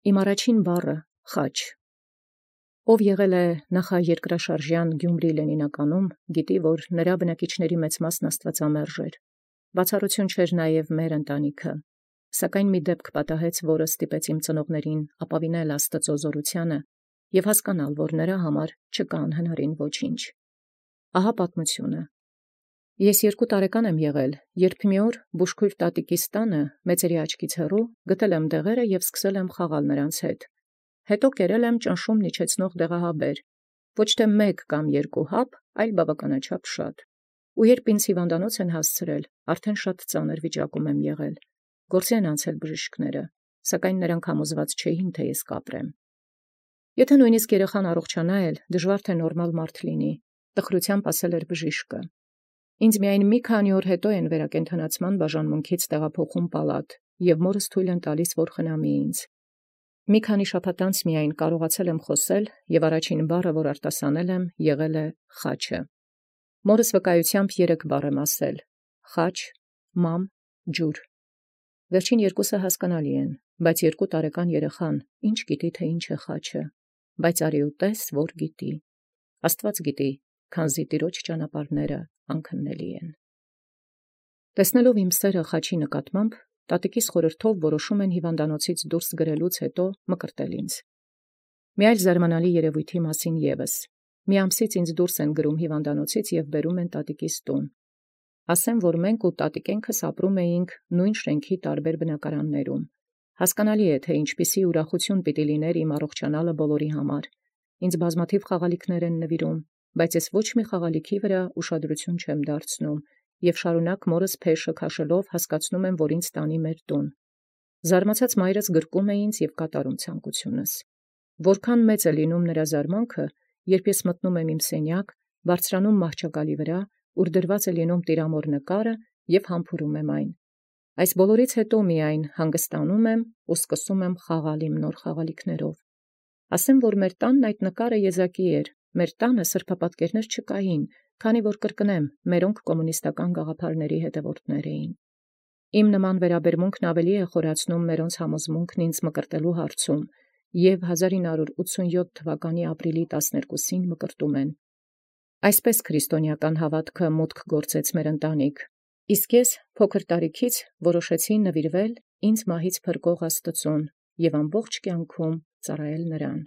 Իմ առաջին բառը խաչ։ Ով եղել է նախաերկրաշարժյան Գյումրի Լենինականում, գիտի, որ նրա բնակիչների մեծ մասն աստվածամերժ էր։ Բացառություն չէր նաև մեր ընտանիքը, սակայն մի դեպք պատահեց, որը ստիպեց իմ ծնողներին ապավինել Աստծո զորությանը և հասկանալ, որ նրա համար չկա անհնարին ոչինչ։ Ահա պատմությունը։ Ես 2 տարեկան եմ եղել, երբ մի օր բուժքույր տատիկիս տանը մեծերի աչքից հեռու գտել եմ դեղերը և սկսել եմ խաղալ նրանց հետ։ Հետո կերել եմ ճնշումն իջեցնող դեղահաբեր, ոչ թե 1 կամ 2 հապ, այլ բավականաչափ շատ։ Ու երբ ինձ հիվանդանոց են հասցրել, արդեն շատ ծանր վիճակում եմ եղել։ Գործի են անցել բժիշկները, սակայն նրանք համոզված չէին, թե ես կապրեմ։ Եթե նույնիսկ երեխան առողջանա էլ, դժվար թե նորմալ մարդ լինի, տխրությամբ ասել էր բժիշկը։ Ինձ միայն մի քանի օր հետո են վերակենդանացման բաժանմունքից տեղափոխում պալատ, և մորս թույլ են տալիս, որ խնամի ինձ։ Մի քանի շաբաթ անց միայն կարողացել եմ խոսել, և առաջին բառը, որ արտասանել եմ, եղել է խաչը։ Մորս վկայությամբ 3 բառ եմ ասել. խաչ, մամ, ջուր։ Վերջին 2-ը հասկանալի են, բայց 2 տարեկան երեխան ինչ գիտի, թե ինչ է խաչը, բայց արի ու տես, որ գիտի։ Աստված գիտի, քանզի Տիրոջ ճանապարհները անքննելի են։ Տեսնելով իմ սերը խաչի նկատմամբ, տատիկիս խորհրդով որոշում են հիվանդանոցից դուրս գրելուց հետո մկրտել ինձ։ Մի այլ զարմանալի երևույթի մասին ևս. մի ամսից ինձ դուրս են գրում հիվանդանոցից և բերում են տատիկիս տուն։ Ասեմ, որ մենք ու տատիկենքս ապրում էինք նույն շենքի տարբեր բնակարաններում։ Հասկանալի է, թե ինչպիսի ուրախություն պիտի լիներ իմ առողջանալը բոլորի համար։ Ինձ բազմաթիվ խաղալիքներ են նվիրում, բայց ես ոչ մի խաղալիքի վրա ուշադրություն չեմ դարձնում և շարունակ մորս փեշը քաշելով հասկացնում եմ, որ ինձ տանի մեր տուն։ Զարմացած մայրս գրկում է ինձ և կատարում ցանկությունս։ Որքան մեծ է լինում նրա զարմանքը, երբ ես մտնում եմ իմ սենյակ, բարձրանում մահճակալի վրա, ուր դրված է լինում տիրամոր նկարը և համբուրում եմ այն։ Այս բոլորից հետո միայն հանգստանում եմ ու սկսում եմ խաղալ իմ նոր խաղալիքներով։ Ասեմ, որ մեր տանն այդ նկարը եզակի էր, մեր տանը սրբապատկերներ չկային, քանի որ կրկնեմ, մերոնք կոմունիստական գաղափարների հետևորդներ էին։ Իմ նման վերաբերմունքն ավելի է խորացնում մերոնց համոզմունքն ինձ մկրտելու հարցում, և 1987 թվականի ապրիլի 12-ին մկրտում են։ Այսպես քրիստոնեական հավատքը մուտք գործեց մեր ընտանիք, իսկ ես փոքր տարիքից որոշեցի նվիրվել ինձ մահից փրկող Աստծուն և ամբողջ կյանքում ծառայել նրան։